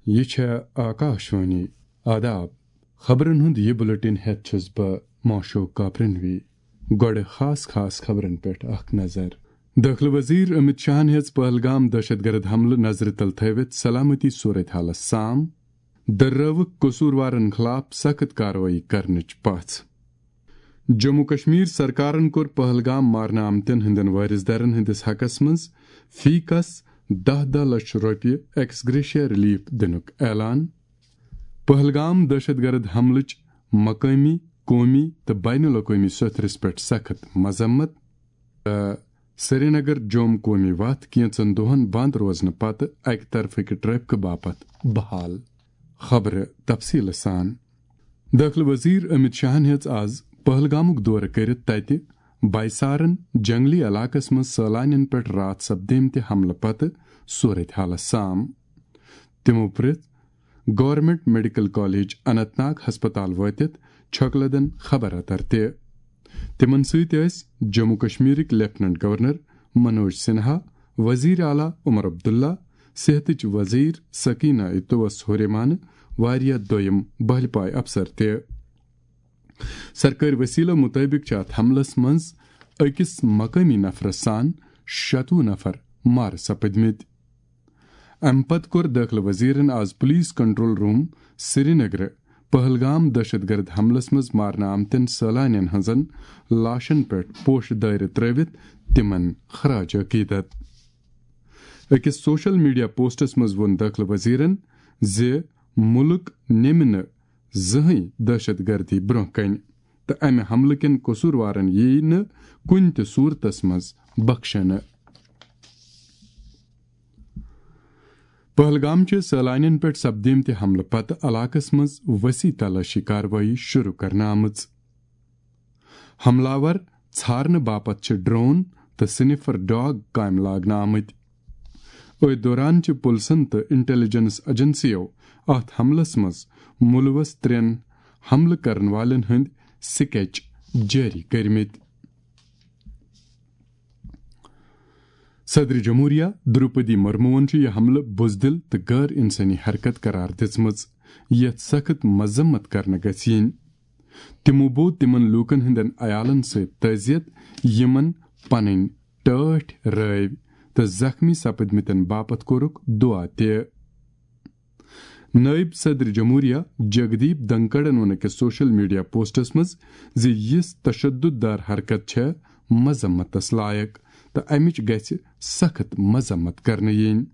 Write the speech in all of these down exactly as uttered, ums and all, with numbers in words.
یہِ چھےٚ آکاشوانی۔ آداب۔ خبرن ہُنٛد یہِ بُلٹن ہٮ۪تھ چھُس بہٕ ماشوق کاپرنوی۔ گۄڈٕ خاص خاص خبرن پٮ۪ٹھ اکھ نظر۔ دٲخلہٕ وزیر امت شاہن ہیٚژ پہلگام دہشت گرد حملہٕ نظرِ تل تھٲوِتھ سلامتی صورت حالس سام۔ دٔررٲوٕکھ قصوٗروارن خلاف سخت کاروٲیی کرنٕچ پژھ۔ جموں کشمیر سرکارن کوٚر پہلگام مارنہٕ آمتٮ۪ن ہٕنٛدٮ۪ن وٲرث دارن ہٕنٛدِس حقس منٛز فی کس دَہ دَہ لچھ رۄپیہِ ایکس گریشیا ریلیف دِنُک اعلان۔ پہلگام دہشت گرد حملٕچ مقٲمی، قومی تہٕ بین الاقوٲمی سوٚتھرِس پٮ۪ٹھ سخت مذمت۔ تہٕ سرینگر جوم قومی وتھ کینژن دۄہن بند روزنہٕ پتہٕ اکہِ طرفٕکہِ ٹریفکہٕ باپتھ بحال۔ خبرٕ تفصیٖلہٕ سان۔ دٲخلہٕ وزیر امت شاہن ہیٚژ آز پہلگامُک دورٕ کٔرِتھ تتہِ بایسارن جنگلی علاقس منٛز سٲلانٮ۪ن پٮ۪ٹھ راتھ سپدیمتہِ حملہٕ پتہٕ صورت حالس سام۔ تِمو پرٛژھ government medical college Anant Nag ہسپتال وٲتِتھ چھۄکہٕ لدن خبر اتر تہِ۔ تِمن سۭتۍ ٲسۍ جموں کشمیرٕکۍ لیفٹیننٹ گورنر منوج سنہا، وزیر اعلیٰ عمر عبداللہ، صحتٕچ وزیر سکینہ اتوس ہُریمانہٕ واریاہ دوٚیم بہلہِ پایہِ افسر تہِ۔ سرکٲرۍ وسیلو مطٲبق چھِ اتھ حملس منٛز أکِس مقٲمی نفرس سان شتوُہ نفر مارٕ سپٕدمٕتۍ۔ امہِ پتہٕ کوٚر دٲخلہٕ وزیرن آز پولیس کنٹرول روم سرینگرٕ پہلگام دہشت گرد حملس منٛز مارنہٕ آمتٮ۪ن سٲلانٮ۪ن ہٕنٛزن لاشن پٮ۪ٹھ پوشہٕ دٲیرٕ ترٲوِتھ تِمن خراج عقیدت۔ أکِس سوشل میڈیا پوسٹس منٛز ووٚن دٲخلہٕ وزیرن زِ مُلک نِمہِ نہٕ زٕہٕنۍ دہشت گردی برٛونٛہہ کنہِ تہٕ امہِ حملہٕ کٮ۪ن قصوٗروارن ییہِ نہٕ کُنہِ تہِ صوٗرتس منٛز بخشنہٕ۔ پہلگام چھِ سٲلانٮ۪ن پٮ۪ٹھ سپدیمتہِ حملہٕ پتہٕ علاقس منٛز وسیع تلاشی کاروٲیی شروع کرنہٕ آمٕژ۔ حملہٕ آور ژھارنہٕ باپتھ چھِ ڈرون تہٕ سنیفر ڈاگ کامہِ لاگنہٕ آمٕتۍ۔ أتھۍ دوران چھِ پُلسن تہٕ انٹیلیجنس ایجنسیو اتھ حملس منٛز مُلوث ترٛٮ۪ن حملہٕ کرن والٮ۪ن ہٕنٛدۍ سکیچ جٲری کٔرمٕتۍ۔ صدر جمہوریہ دروپدی مرموہن چھُ یہِ حملہٕ بزدل تہٕ غٲر انسٲنی حرکت قرار دِژمٕژ، یتھ سخت مذمت کرنہٕ گژھِ یِنۍ۔ تِمو بوو تِمن لوٗکن ہٕنٛدٮ۪ن عیالن سۭتۍ تعزیت، یِمن پنٕنۍ ٹٲٹھۍ رٲوۍ، تہٕ زخمی سپٕدمٕتٮ۪ن باپتھ کوٚرُکھ دُعا تہِ۔ نٲیِب صدر جمہوریہ جگدیپ دھنکڑَن ووٚن أکِس سوشل میڈیا پوسٹَس منٛز زِ یِژھ تشدد دار حرکت چھےٚ مذمتَس لایق تہٕ اَمِچ گژھِ سخت مذمت کرنہٕ یِنۍ۔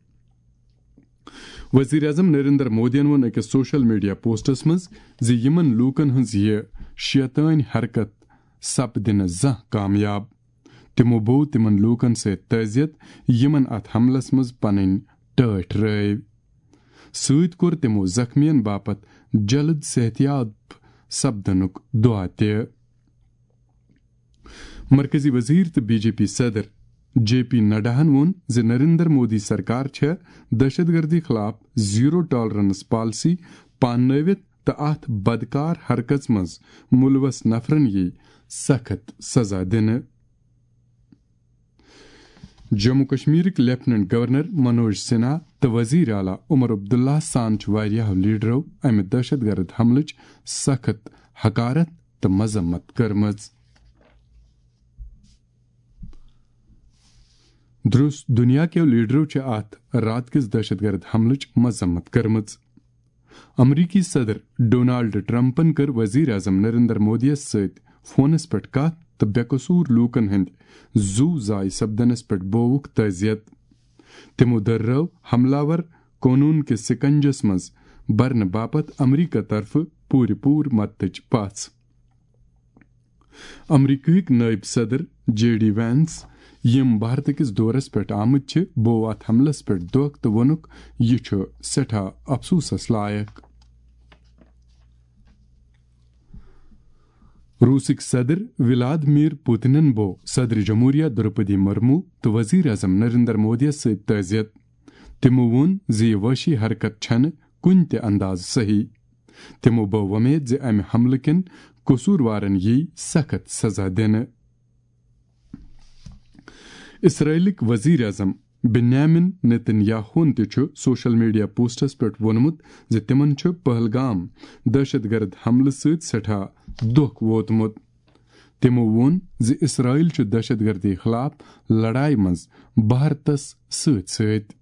وزیر اعظم نریندر مودیَن ووٚن أکِس سوشل میڈیا پوسٹَس منٛز زِ یِمَن لوٗکَن ہٕنٛز یہِ شیطٲنۍ حرکت سپدِ نہٕ زانٛہہ کامیاب۔ تِمو بوو تِمَن لوٗکَن سۭتۍ تعزیت، یِمَن اَتھ حملَس منٛز پنٕنۍ ٹٲٹھۍ رٲوۍ۔ سۭتۍ کوٚر تِمو زخمیَن باپتھ جلد صحتیاب سپدنُک دعا تہِ۔ مرکزی وزیر تہٕ بی جے پی صدر جے پی نڈاہن ووٚن زِ نریندر مودی سرکار چھےٚ دہشت گردی خلاف زیرو ٹالرنس پالیسی پاننٲوِتھ تہٕ اَتھ بدکار حرکژ منٛز مُلوث نفرن یِیہِ سخت سزا دِنہٕ۔ جموں کشمیرٕکۍ لیفٹیننٹ گورنر منوج سنہا تہٕ وزیر اعلیٰ عمر عبداللہ سان چھِ واریاہو لیڈرو امہِ دہشت گرد حملٕچ سخت حقارت تہٕ مذمت کٔرمٕژ۔ درُس دُنیا کیو لیڈرو چھِ اتھ راتہٕ کِس دہشت گرد حملٕچ مذمت کٔرمٕژ۔ امریکی صدر ڈونالڈ ٹرمپن کٔر وزیر اعظم نریندر مودیَس سۭتۍ فونس پٮ۪ٹھ کتھ تہٕ بے قصور لوٗکن ہٕنٛدۍ زُو ضایع سپدنس پٮ۪ٹھ بووُکھ تعزیت۔ تِمو دٔررٲو حملہٕ آور قونوٗن کِس سکنجس منٛز برنہٕ باپتھ امریکہ طرفہٕ پوٗرٕ پوٗرٕ مدتٕچ پژھ۔ امریکہٕکۍ نٲیِب صدر جے ڈی وینس، یِم بھارتہٕ کِس دورس پٮ۪ٹھ آمٕتۍ چھِ، بوو اتھ حملس پٮ۪ٹھ دۄکھ تہٕ ووٚنُکھ، "یہِ چھُ سٮ۪ٹھاہ افسوسس لایق۔" روٗسٕکۍ صدر ولادمیر پوتنن بوو صدر جمہوریہ دروپدی مرمو تہٕ وزیر اعظم نریندر مودیَس سۭتۍ تعزیت۔ تِمو ووٚن زِ یہِ وحشی حرکت چھنہٕ کُنہِ تہِ اندازٕ صحیح۔ تِمو بٲو وۄمید زِ امہِ حملہٕ کٮ۪ن قصوٗروارن یِیہِ سخت سزا دِنہٕ۔ اسرائیلٕکۍ وزیر اعظم بنیامین نتن یاہون تہِ چھُ سوشل میڈیا پوسٹس پٮ۪ٹھ ووٚنمُت زِ تِمن چھُ پہلگام دہشت گرد حملہٕ سۭتۍ سٮ۪ٹھاہ دۄکھ ووتمُت۔ تِمو ووٚن زِ اسرائیل چھُ دہشت گردی خلاف لڑایہِ منٛز بھارتس سۭتۍ سۭتۍ۔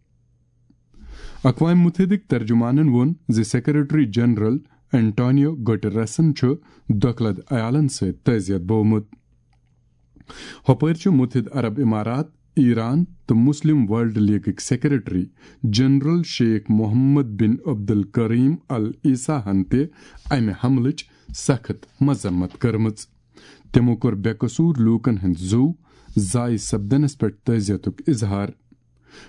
اقوام متحدٕکۍ ترجمانن ووٚن زِ سیکرٹری جنرل انٹونیو گٹرسن چھُ دۄکھلد عیالن سۭتۍ تعزیت بوومُت۔ ہۄپٲرۍ چھُ متحدٕ عرب امارات، ایران تہٕ مسلم ورلڈ لیگٕکۍ secretary general Sheikh Mohammad bin Abdul الکریم العیسیٰ ہن تہِ امہِ حملٕچ سخت مذمت کٔرمٕژ۔ تِمو کوٚر بے قصور لوٗکن ہٕنٛدۍ زُو ضایع سپدنس پٮ۪ٹھ تعزیتُک اظہار۔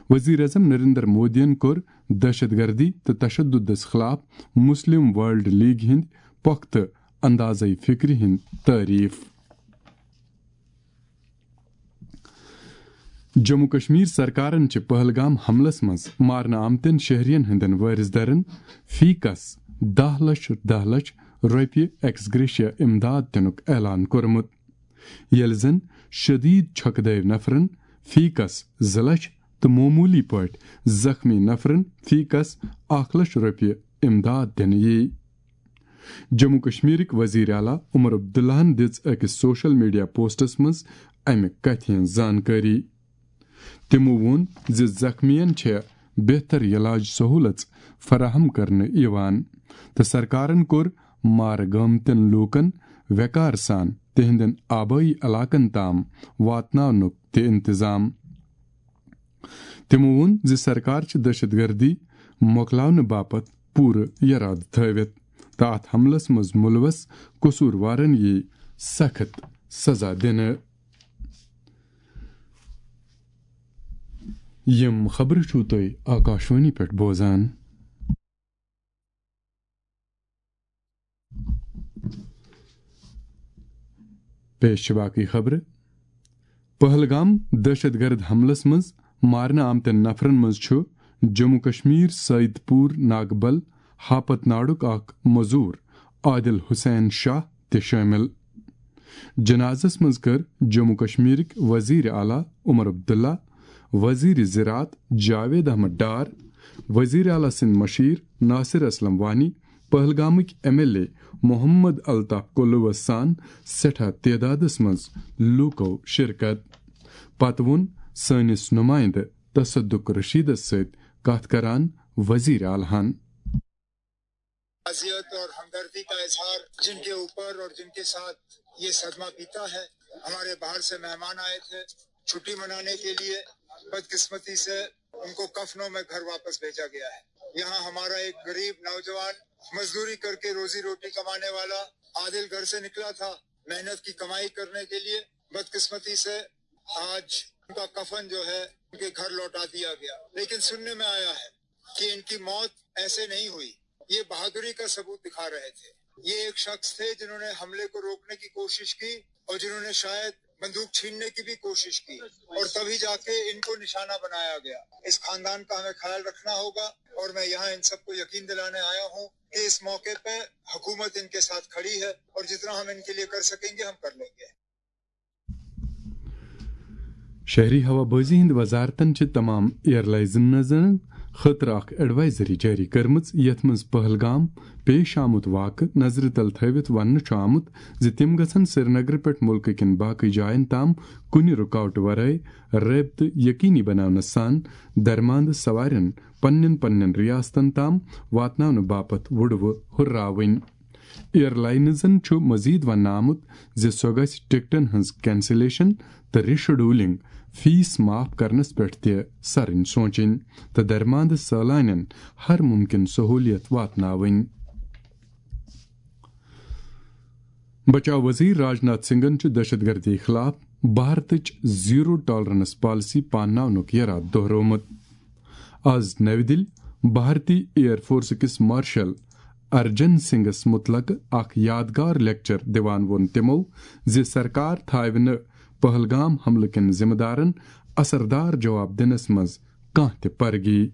وزیر اعظم نریندر مودیَن کوٚر دہشت گردی تہٕ تشددس خلاف مسلم ورلڈ لیگ ہٕنٛدۍ پۄختہٕ اندازے فکرِ ہٕنٛد تعریف۔ جموں کشمیر سرکارن چھِ پہلگام حملس منٛز مارنہٕ آمتٮ۪ن شہرین ہٕنٛدٮ۪ن وٲرث دَرن فی کس دَہ لچھ، دَہ لچھ رۄپیہِ ایکس گریشیا امداد دِنُک اعلان کوٚرمُت، ییٚلہِ زن شدید چھۄکہٕ دٲوۍ نفرن فی کس زٕ لچھ تہٕ معموٗلی پٲٹھۍ زخمی نفرن فی کس اکھ لچھ رۄپیہِ امداد دِنہٕ یِیہِ۔ جموں کشمیرٕکۍ وزیر اعلیٰ عمر عبداللہن دِژ أکِس سوشل میڈیا پوسٹس منٛز امہِ کتھِ ہٕنٛز زانکٲری۔ تِمو ووٚن زِ زخمیَن چھےٚ بہتر علاج سہولژ فراہم کرنہٕ یِوان تہٕ سرکارن کوٚر مارٕ گٲمتٮ۪ن لوٗکن وقار سان تِہنٛدٮ۪ن آبٲیی علاقن تام واتناونُک تہِ انتظام۔ تِمو ووٚن زِ سرکار چھِ دہشت گردی مۄکلاونہٕ باپتھ پوٗرٕ یرادٕ تھٲوِتھ تہٕ اتھ حملس منٛز مُلوث قصوٗروارن یِیہِ سخت سزا دِنہٕ۔ یِم خبرٕ چھِو تُہۍ آکاشوانی پٮ۪ٹھ بوزان۔ پیش چھِ باقٕے خبرٕ۔ پہلگام دہشت گرد حملس منٛز مارنہٕ آمتٮ۪ن نفرن منٛز چھُ جموں کشمیر سید پور ناگبل ہاپت ناڈُک اکھ مزور عادل حسین شاہ تہِ شٲمِل۔ جنازس منٛز کٔر جموں کشمیرٕکۍ وزیر اعلیٰ عمر عبداللہ، وزیر زراعت جاوید احمد ڈار، وزیر اعلیٰ سٕنٛدۍ مشیر ناصر اسلم وانی، پہلگامٕکۍ M L A Mohammad Altaf کلوس سان سٮ۪ٹھاہ تعدادس منٛز لوٗکو شرکت۔ پتہٕ ووٚن سٲنِس نُمایندٕ تصدق رشیدس سۭتۍ کتھ کران وزیر اعلیٰ ہن۔ تعزیت اور ہمدردی کا اظہار، جن کے اوپر اور جن کے ساتھ یہ صدمہ بیتا ہے۔ ہمارے باہر سے مہمان آئے تھے چھٹی منانے کے لیے، بدقسمتی سے ان کو کفنوں میں گھر واپس بھیجا گیا ہے۔ یہاں ہمارا ایک غریب نوجوان مزدوری کرکے روزی روٹی کمانے والا عادل گھر سے نکلا تھا محنت کی کمائی کرنے کے لیے، بدقسمتی سے آج ان کا کفن جو ہے ان کے گھر لوٹا دیا گیا۔ لیکن سننے میں آیا ہے کہ ان کی موت ایسے نہیں ہوئی، یہ بہادری کا ثبوت دکھا رہے تھے۔ یہ ایک شخص تھے جنہوں نے حملے کو روکنے کی کوشش کی اور جنہوں نے شاید بندوق چھیننے کی بھی کوشش کی اور تبھی جا کے ان کو نشانہ بنایا گیا۔ اس خاندان کا ہمیں خیال رکھنا ہوگا اور میں یہاں ان سب کو یقین دلانے آیا ہوں کہ اس موقع پہ حکومت ان کے ساتھ کھڑی ہے اور جتنا ہم ان کے لیے کر سکیں گے ہم کر لیں گے۔ شہری ہوا بازی ہند وزارتن چھِ تمام ایئر لائنزن خٲطرٕ اکھ ایڈوائزری جٲری کٔرمٕژ، یتھ منٛز پہلگام پیش آمُت واقعہٕ نظرِ تل تھٲوِتھ وننہٕ چھُ آمُت زِ تِم گژھن سرینگرٕ پٮ۪ٹھ مُلکہٕ کٮ۪ن باقٕے جاین تام کُنہِ رُکاوٹہٕ ورٲے رٲبطہٕ یقینی بناونس سان درماندٕ سوارٮ۪ن پننٮ۪ن پننٮ۪ن ریاستن تام واتناونہٕ باپتھ وُڑوٕ ہُرراوٕنۍ۔ ایئر لائنزن چھُ مزید وننہٕ آمُت زِ سۄ گژھِ ٹکٹن ہٕنٛز کینسلیشن تہٕ ریشیڈولنگ، فیس معاف کرنس پٮ۪ٹھ تہِ سرٕنۍ سونچٕنۍ تہٕ درماندٕ سٲلانٮ۪ن ہر ممکن سہولیت واتناوٕنۍ۔ بچاو وزیر راجناتھ سنگھن چھُ دہشت گردی خلاف بھارتٕچ زیرو ٹالرنس پالیسی پانناونُک یرادٕ دہرومُت۔ آز نَوِ دِلہِ بھارتی ایئر فورس کِس مارشل ارجن سنگھس متعلق اکھ یادگار لیکچر دِوان ووٚن تِمو زِ سرکار تھاوِ نہٕ پہلگام حملہٕ کٮ۪ن ذمہٕ دارن اثردار جواب دِنس منٛز کانٛہہ تہِ پرگی۔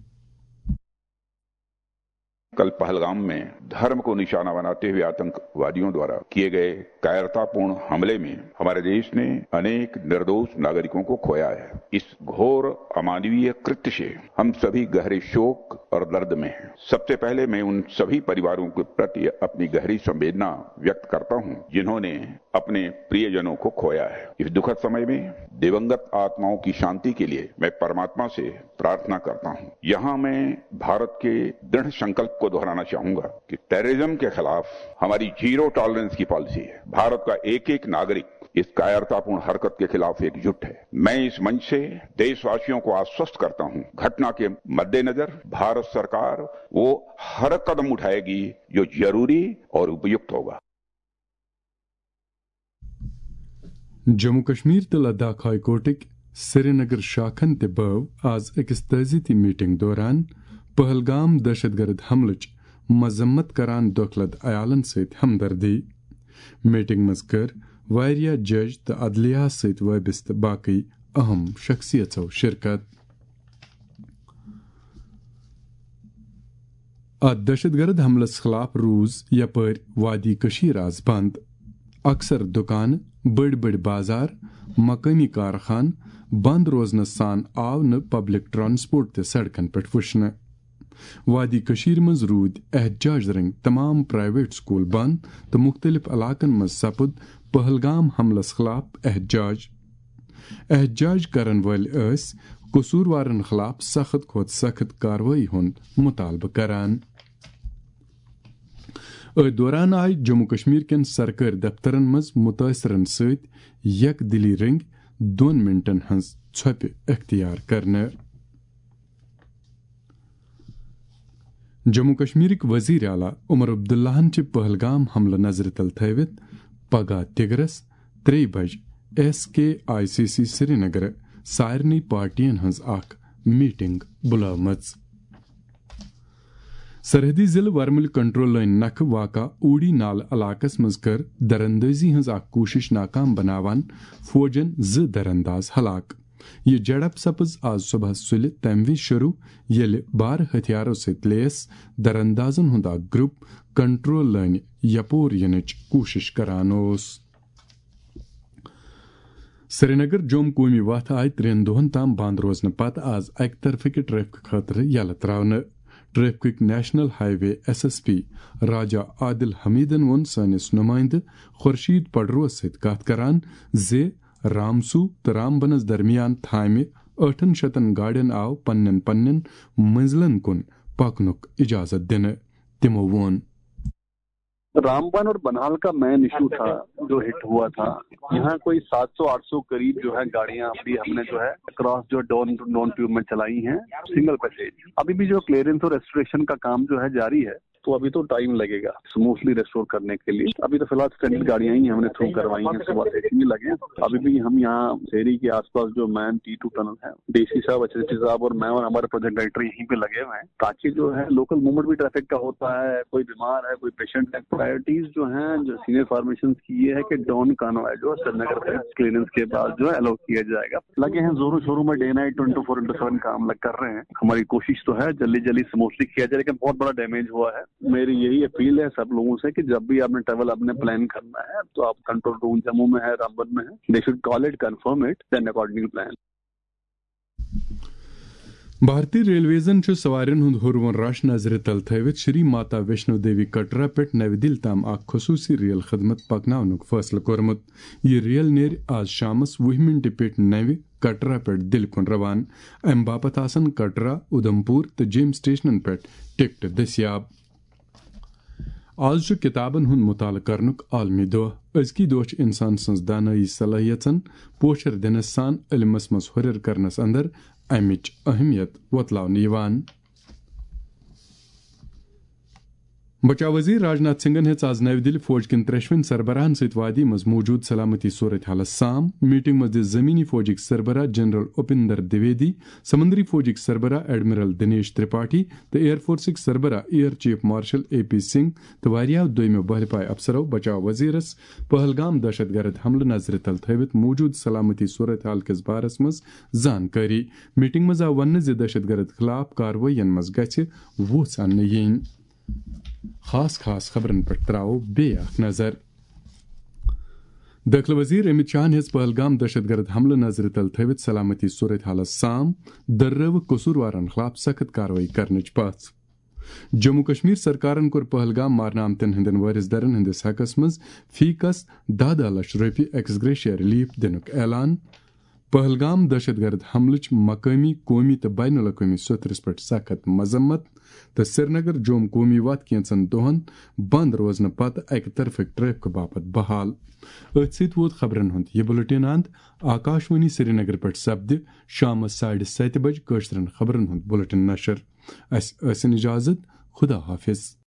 कल पहलगाम में धर्म को निशाना बनाते हुए आतंकवादियों द्वारा किए गए कायरतापूर्ण हमले में हमारे देश ने अनेक निर्दोष नागरिकों को खोया है। इस घोर अमानवीय कृत्य से हम सभी गहरे शोक और दर्द में हैं। सबसे पहले मैं उन सभी परिवारों के प्रति अपनी गहरी संवेदना व्यक्त करता हूं, जिन्होंने अपने प्रियजनों को खोया है। इस दुखद समय में दिवंगत आत्माओं की शांति के लिए मैं परमात्मा से प्रार्थना करता हूं। यहां मैं भारत के दृढ़ संकल्प को दोहराना चाहूंगा कि टेररिज्म के खिलाफ हमारी जीरो टॉलरेंस की पॉलिसी है। भारत का एक एक नागरिक इस कायरतापूर्ण हरकत के खिलाफ एकजुट है। मैं इस मंच से देशवासियों को आश्वस्त करता हूं, घटना के मद्देनजर भारत सरकार वो हर कदम उठाएगी जो जरूरी और उपयुक्त होगा। جموں کشمیر تہٕ لداخ ہائی کورٹٕکۍ سرینگر شاخن تہِ بٲو آز أکِس تعزیتی میٹنگ دوران پہلگام دہشت گرد حملٕچ مذمت کران دۄکھلد عیالن سۭتۍ ہمدردی۔ میٹنگ منٛز کٔر واریاہ جج تہٕ عدلیہ سۭتۍ وابستہٕ باقٕے اہم شخصیژو شرکت۔ اتھ دہشت گرد حملس خلاف روٗز یپٲرۍ وادی کٔشیٖر آز بنٛد۔ اکثر دُکانہٕ، بٔڑۍ بٔڑۍ بازار، مقٲمی کارخان بنٛد روزنس سان آو نہٕ پبلک ٹرانسپورٹ تہِ سڑکن پٮ۪ٹھ وٕچھنہٕ۔ وادی کٔشیٖرِ منٛز روٗدۍ احتجاج رٔنگۍ تمام پرائیویٹ سکول بنٛد تہٕ مُختٔلِف علاقن منٛز سپُد پہلگام حملس خلاف احتجاج۔ احتجاج کرن وٲلۍ ٲسۍ قصوٗروارن خلاف سخت کھۄتہٕ سخت کاروٲیی ہُنٛد مطالبہٕ کران۔ أتھۍ دوران آیہِ جموں کشمیر کٮ۪ن سرکٲرۍ دفترن منٛز مُتٲثرن سۭتۍ یک دِلی رٔنگۍ دۄن منٹن ہٕنٛز ژھۄپہِ اختیار کرنہٕ۔ جموں کشمیرٕکۍ وزیر اعلیٰ عمر عبداللہن چھِ پہلگام حملہٕ نظرِ تل تھٲوِتھ پگاہ تِگرس ترٛیٚیہِ بجہِ S K I C C سرینگرٕ سارنٕے پارٹین ہٕنٛز اکھ میٹنگ بُلٲومٕژ۔ سرحدی ضلعہٕ ورمُلہِ کنٹرول لٲنہِ نکھٕ واقع اوٗڑی نالہٕ علاقس منٛز کٔر دراندازی ہٕنٛز اکھ کوٗشش ناکام بناوان فوجن زٕ درانداز ہلاک۔ یہِ جھڑپ سپٕز آز صبحس سُلہِ تمہِ وِزِ شروع، ییٚلہِ بارٕ ہتھیارو سۭتۍ لیس دراندازن ہُنٛد اکھ گروپ کنٹرول لٲنہِ یپور یِنٕچ کوٗشش کران اوس۔ سرینگر جوم قومی وتھ آیہِ ترٛٮ۪ن دۄہن تام بند روزنہٕ پتہٕ آز اکہِ طرفہٕ کہِ ٹریفک خٲطرٕ یلہٕ تراونہٕ۔ ٹریفکٕکۍ نیشنل ہائی وے ایس ایس پی راجا عادل حمیدن ووٚن سٲنِس نُمٲیندٕ خورشید پڈروَس سۭتۍ کتھ کران زِ رامسو تہٕ رامبنس درمیان تھامہِ ٲٹھن شتن گاڑٮ۪ن آو پننٮ۪ن پننٮ۪ن منزلن کُن پکنُک اجازت دِنہٕ۔ تِمو ووٚن۔ रामबन और बनहाल का मेन इशू था जो हिट हुआ था। यहाँ कोई सात सौ आठ सौ करीब जो है गाड़ियां अभी हमने जो है क्रॉस जो डॉन डॉन ट्यूब में चलाई हैं, सिंगल पैसेज। अभी भी जो क्लियरेंस और रेस्टोरेशन का काम जो है जारी है, तो अभी तो टाइम लगेगा स्मूथली रेस्टोर करने के लिए। अभी तो फिलहाल स्टैंडर्ड गाड़ियां ही हमने थ्रू करवाई हैं सुबह से, इतनी लगे। अभी भी हम यहाँ शेरी के आसपास जो मैन टी टू टनल है, डीसी साहब, एचएसडी साहब और मैं और हमारे प्रोजेक्ट डायरेक्टर यहीं पे लगे हुए हैं, ताकि जो है लोकल मूवमेंट भी ट्रैफिक का होता है, कोई बीमार है, कोई पेशेंट है। प्रायोरिटीज जो है जो सीनियर फॉर्मेशन की ये है कि डॉन कॉन्वॉय जो श्रीनगर से क्लियरेंस के बाद जो है अलाउ किया जाएगा। लगे हैं जोरों शोरों में, day night twenty four into seven काम लग कर रहे हैं। हमारी कोशिश तो है जल्दी जल्दी स्मूथली किया जाए, लेकिन बहुत बड़ा डैमेज हुआ है। मेरी यही अपील है सब लोगों से कि जब भी आपने ट्रैवल आपने प्लान करना है तो आप कंट्रोल रूम जम्मू में है, रामबन में है, they should call it, confirm it, then accordingly plan. بھارتی ریلویزن چھُ سوارٮ۪ن ہُنٛد ہُروُن رش نظرِ تل تھٲوِتھ شری ماتا ویشنو دیوی کٹرا پٮ۪ٹھ نوِ دِلہِ تام اکھ خصوٗصی ریل خدمت پکناونُک فٲصلہٕ کوٚرمُت۔ یہِ ریل نیرِ آز شامَس وُہ مِنٹہِ پٮ۪ٹھ نوِ کٹرا پٮ۪ٹھ دِلہِ کُن روانہٕ۔ اَمہِ باپتھ آسَن کٹرا، اُدھمپور تہٕ جیم سٹیشنَن پٮ۪ٹھ ٹکٹہٕ دٔستیاب۔ آز چھُ کِتابَن ہُنٛد مُطالعہٕ کرنُک عالمی دۄہ۔ أزکی دۄہ چھُ اِنسان سٕنٛز دانٲیی صلٲحیژن پوچھر دِنس سان علمس منٛز ہُرٮ۪ر کرنس اندر امِچ اہمیت وۄتلاونہٕ یِوان۔ بچاو وزیر راجناتھ سنگھن ہیٚژ آز نَوِ دِلہِ فوج کٮ۪ن ترٛٮ۪شوٕنی سربراہن سۭتۍ وادی منٛز موجود سلامتی صورت حالس سام۔ میٹنگ منٛز دِژ زمینی فوجٕکۍ سربراہ جنرل اپندر دویدی، سمندری فوجٕکۍ سربراہ ایڈمرل دنیش ترپاٹھی تہٕ ایئر فورسٕکۍ سربراہ air chief marshal A P Singh تہٕ واریاہو دویمو بحرپایہِ افسرو بچاو وزیرس پہلگام دہشت گرد حملہٕ نظرِ تل تھٲوِتھ موجود سلامتی صورت حال کِس بارس منٛز زانکٲری۔ میٹنگ منٛز آو وننہٕ زِ دہشت گرد خلاف کاروٲیین منٛز گژھِ وُژھ اننہٕ یِنۍ۔ خاص خاص خبرن پٮ۪ٹھ تراوو بیٚیہِ اکھ نظر۔ دٲخلہٕ وزیر امت شاہن ہیٚژ پہلگام دہشت گرد حملہٕ نظرِ تل تھٲوِتھ سلامتی صورت حالس سام، دررٲوٕکھ قصوٗروارن خلاف سخت کاروٲیی کرنٕچ پژھ۔ جموں کشمیر سرکارن کوٚر پہلگام مارنہٕ آمتٮ۪ن ہٕنٛدٮ۪ن وٲرث درن ہٕنٛدِس حقس منٛز فی کس دَہ دَہ لچھ رۄپیہِ ایکس گریشیا ریلیف دِنُک اعلان۔ پہلگام دہشت گرد حملٕچ مقٲمی، قومی تہٕ بین الاقوٲمی سطحس پٮ۪ٹھ سخت مذمت۔ تہٕ سرینگر جوم قومی وتھ کینٛژن دۄہن بند روزنہٕ پتہٕ اکہِ طرفٕکۍ ٹریفکہٕ باپتھ بحال۔ أتھۍ سۭتۍ ووت خبرن ہُنٛد یہِ بُلٹن اند۔ آکاشوانی سرینگر پٮ۪ٹھ سپدِ شامس ساڑِ ستہِ بجہِ کٲشرٮ۪ن خبرن ہُنٛد بُلٹن نشر۔ اسہِ ٲسِن اجازت۔ خدا حافظ۔